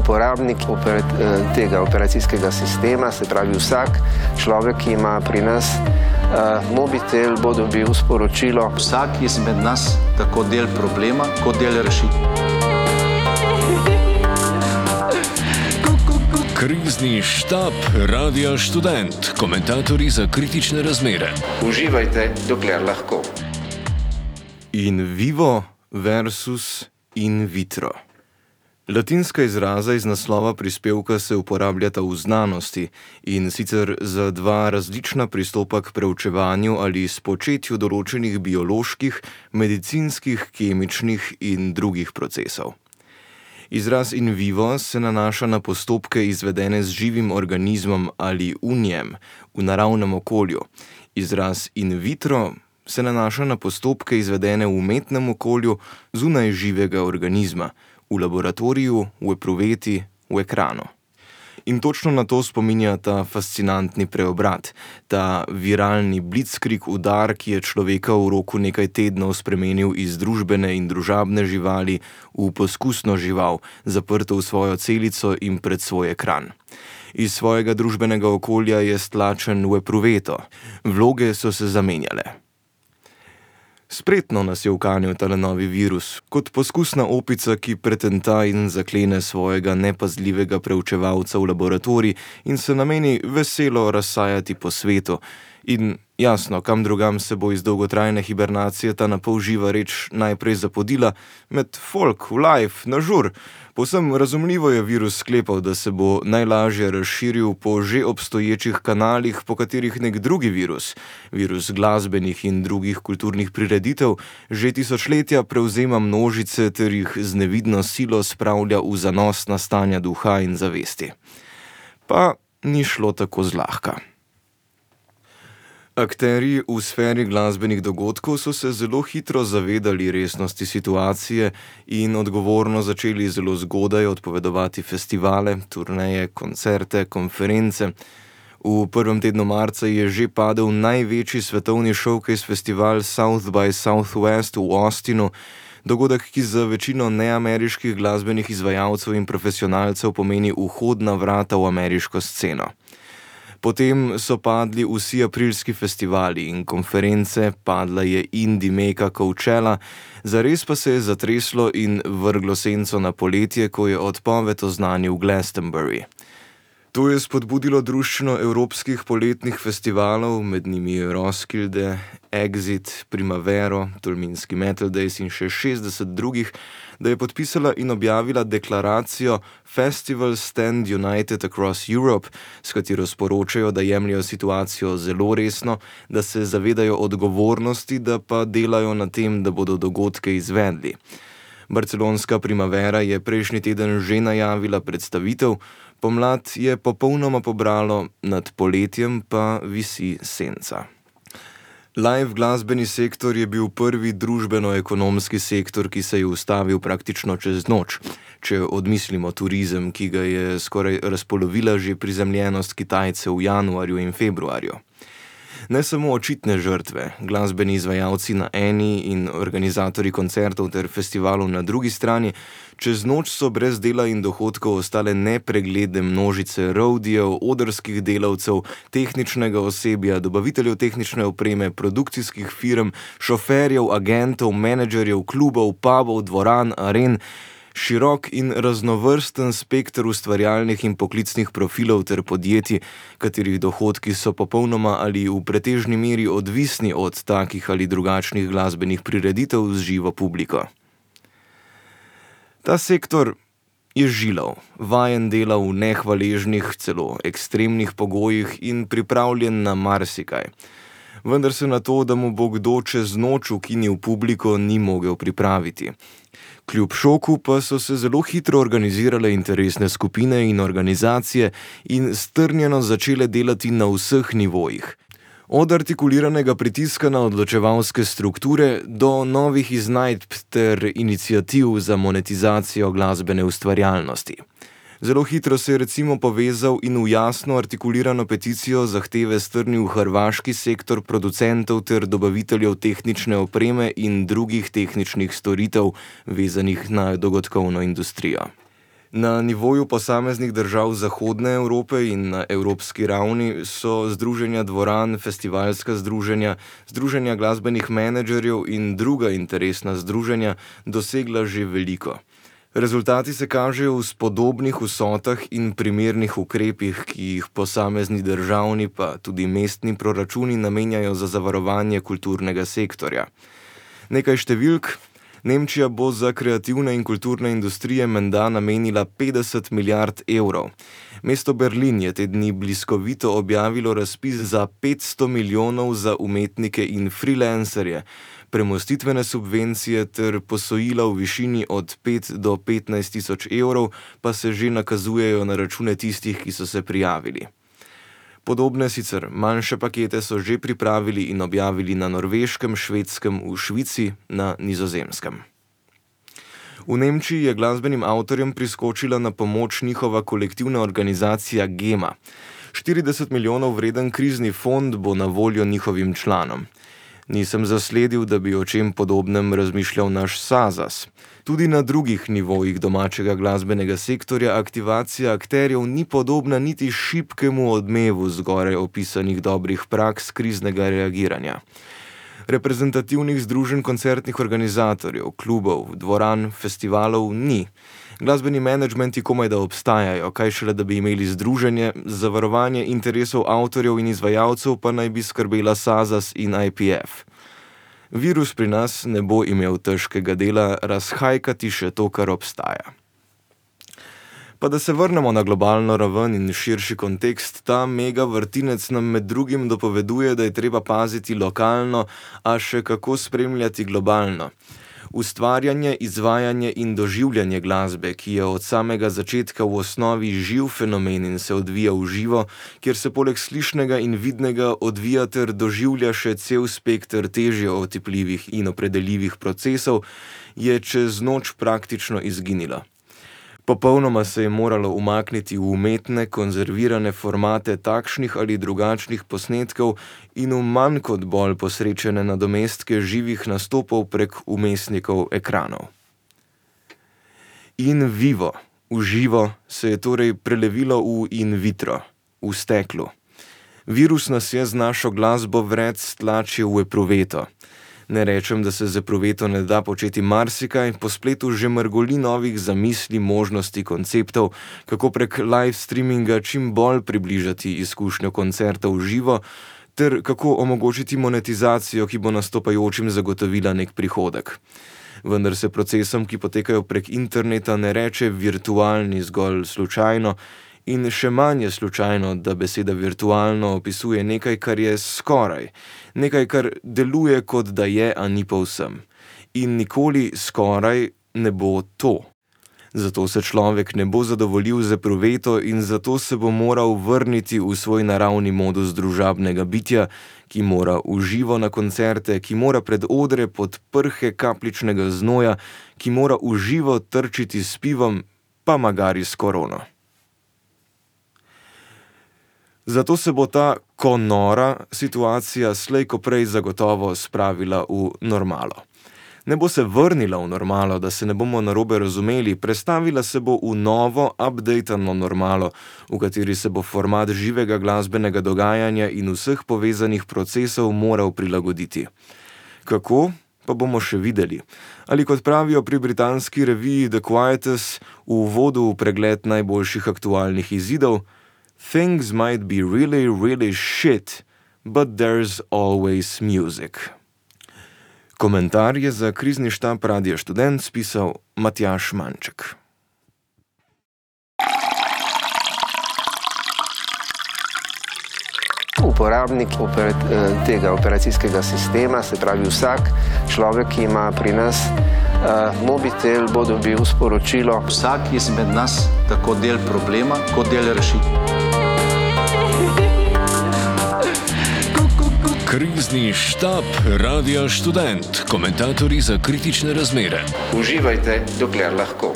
uporabnik tega operacijskega sistema, se pravi vsak človek, ki ima pri nas mobitel, bo dobil sporočilo. Vsak izmed nas tako del problema, kot del rešitve. Krizni štab Radia Študent, komentatorji za kritične razmere. Uživajte, dokler lahko. In vivo versus in vitro. Latinska izraza iz naslova prispevka se uporabljata v znanosti in sicer za dva različna pristopa k preučevanju ali spočetju določenih bioloških, medicinskih, kemičnih in drugih procesov. Izraz in vivo se nanaša na postopke izvedene z živim organizmom ali v njem, v naravnem okolju. Izraz in vitro se nanaša na postopke izvedene v umetnem okolju zunaj živega organizma, v laboratoriju, v epruveti, v ekranu. In točno na to spominja ta fascinantni preobrat, ta viralni blitzkrieg udar, ki je človeka v roku nekaj tednov spremenil iz družbene in družabne živali v poskusno žival, zaprto v svojo celico in pred svoj ekran. Iz svojega družbenega okolja je stlačen v epruveto. Vloge so se zamenjale. Spretno nas je ukanil tale novi virus, kot poskusna opica, ki pretenta in zaklene svojega nepazljivega preučevalca v laboratorij in se nameni veselo razsajati po svetu. In jasno, kam drugam se bo iz dolgotrajne hibernacije ta napol živa reč najprej zapodila, med folk, v live, na žur. Povsem razumljivo je virus sklepal, da se bo najlažje razširil po že obstoječih kanalih, po katerih nek drugi virus, virus glasbenih in drugih kulturnih prireditev, že tisočletja prevzema množice ter jih z nevidno silo spravlja v zanosna stanja duha in zavesti. Pa ni šlo tako zlahka. Akterji v sferi glasbenih dogodkov so se zelo hitro zavedali resnosti situacije in odgovorno začeli zelo zgodaj odpovedovati festivale, turneje, koncerte, konference. V prvem tednu marca je že padel največji svetovni showcase festival South by Southwest v Austinu, dogodek, ki za večino neameriških glasbenih izvajalcev in profesionalcev pomeni vhodna vrata v ameriško sceno. Potem so padli vsi aprilski festivali in konference, padla je indie meka Coachella, zares pa se je zatreslo in vrglo senco na poletje, ko je odpoved oznanil Glastonbury. To je spodbudilo druščino evropskih poletnih festivalov, med njimi Roskilde, Exit, Primavero, Tolminski Metal Days in še 60 drugih, da je podpisala in objavila deklaracijo Festivals Stand United Across Europe, s katero sporočajo, da jemljajo situacijo zelo resno, da se zavedajo odgovornosti, da pa delajo na tem, da bodo dogodke izvedli. Barcelonska Primavera je prejšnji teden že najavila predstavitev, pomlad je popolnoma pobralo, nad poletjem pa visi senca. Live glasbeni sektor je bil prvi družbeno-ekonomski sektor, ki se je ustavil praktično čez noč, če odmislimo turizem, ki ga je skoraj razpolovila že prizemljenost Kitajcev v januarju in februarju. Ne samo očitne žrtve, glasbeni izvajalci na eni in organizatorji koncertov ter festivalov na drugi strani, čez noč so brez dela in dohodkov ostale nepregledne množice roadijev, odrskih delavcev, tehničnega osebja, dobaviteljev tehnične opreme, produkcijskih firm, šoferjev, agentov, menedžerjev, klubov, pubov, dvoran, aren, širok in raznovrsten spekter ustvarjalnih in poklicnih profilov ter podjetij, katerih dohodki so popolnoma ali v pretežni meri odvisni od takih ali drugačnih glasbenih prireditev z živo publiko. Ta sektor je žilav, vajen dela v nehvaležnih, celo ekstremnih pogojih in pripravljen na marsikaj. Vendar se na to, da mu bo kdo čez noč ukinil publiko, ni mogel pripraviti. Kljub šoku pa so se zelo hitro organizirale interesne skupine in organizacije in strnjeno začele delati na vseh nivojih. Od artikuliranega pritiska na odločevalske strukture do novih iznajdb ter iniciativ za monetizacijo glasbene ustvarjalnosti. Zelo hitro se je recimo povezal in v jasno artikulirano peticijo zahteve strnil hrvaški sektor producentov ter dobaviteljev tehnične opreme in drugih tehničnih storitev vezanih na dogodkovno industrijo. Na nivoju posameznih držav Zahodne Evrope in na evropski ravni so združenja dvoran, festivalska združenja, združenja glasbenih menedžerjev in druga interesna združenja dosegla že veliko. Rezultati se kažejo v spodobnih vsotah in primernih ukrepih, ki jih posamezni državni pa tudi mestni proračuni namenjajo za zavarovanje kulturnega sektorja. Nekaj številk. Nemčija bo za kreativne in kulturne industrije menda namenila 50 milijard evrov. Mesto Berlin je te dni bliskovito objavilo razpis za 500 milijonov za umetnike in freelancerje, premostitvene subvencije ter posojila v višini od 5 do 15 tisoč evrov pa se že nakazujejo na račune tistih, ki so se prijavili. Podobne sicer manjše pakete so že pripravili in objavili na Norveškem, Švedskem, v Švici, na Nizozemskem. V Nemčiji je glasbenim avtorjem priskočila na pomoč njihova kolektivna organizacija GEMA. 40 milijonov vreden krizni fond bo na voljo njihovim članom. Nisem zasledil, da bi o čem podobnem razmišljal naš SAZAS. Tudi na drugih nivojih domačega glasbenega sektorja aktivacija akterjev ni podobna niti šibkemu odmevu zgoraj opisanih dobrih praks kriznega reagiranja. Reprezentativnih združenj koncertnih organizatorjev, klubov, dvoran, festivalov ni. Glasbeni menedžmenti komaj da obstajajo, kaj šele da bi imeli združenje, zavarovanje interesov avtorjev in izvajalcev pa naj bi skrbela SAZAS in IPF. Virus pri nas ne bo imel težkega dela razhajkati še to, kar obstaja. Pa da se vrnemo na globalno raven in širši kontekst, ta mega vrtinec nam med drugim dopoveduje, da je treba paziti lokalno, a še kako spremljati globalno. Ustvarjanje, izvajanje in doživljanje glasbe, ki je od samega začetka v osnovi živ fenomen in se odvija v živo, kjer se poleg slišnega in vidnega odvija ter doživlja še cel spekter težje otipljivih in opredeljivih procesov, je čez noč praktično izginilo. Popolnoma se je moralo umakniti v umetne, konzervirane formate takšnih ali drugačnih posnetkov in v manj kot bolj posrečene nadomestke živih nastopov prek vmesnikov ekranov. In vivo, v živo, se je torej prelevilo v in vitro, v steklu. Virus nas je z našo glasbo vred stlačil v epruveto. Ne rečem, da se z epruveto ne da početi marsikaj, po spletu že mrgoli novih zamisli, možnosti, konceptov, kako prek live streaminga čim bolj približati izkušnjo koncerta v živo, ter kako omogočiti monetizacijo, ki bo nastopajočim zagotovila nek prihodek. Vendar se procesom, ki potekajo prek interneta, ne reče virtualni zgolj slučajno, in še manj je slučajno, da beseda virtualno opisuje nekaj, kar je skoraj, nekaj, kar deluje kot da je, a ni povsem. In nikoli skoraj ne bo to. Zato se človek ne bo zadovoljil z epruveto in zato se bo moral vrniti v svoj naravni modus družabnega bitja, ki mora v živo na koncerte, ki mora pred odre pod prhe kapljičnega znoja, ki mora v živo trčiti s pivom, pa magari s korono. Zato se bo ta nora situacija slej ko prej zagotovo spravila v normalo. Ne bo se vrnila v normalo, da se ne bomo narobe razumeli, prestavila se bo v novo, updatano normalo, v kateri se bo format živega glasbenega dogajanja in vseh povezanih procesov moral prilagoditi. Kako? Pa bomo še videli. Ali kot pravijo pri britanski reviji The Quietus v uvodu v pregled najboljših aktualnih izidov, Things might be really, really shit, but there's always music. Komentar je za krizni štab Radia Študent spisal Matjaž Manček. Uporabnik tega operacijskega sistema, se pravi vsak človek, ki ima pri nas mobitel, bo dobil sporočilo. Vsak izmed nas tako del problema, kot del rešitve. Krizni štab Radia Študent, komentatorji za kritične razmere. Uživajte, dokler lahko.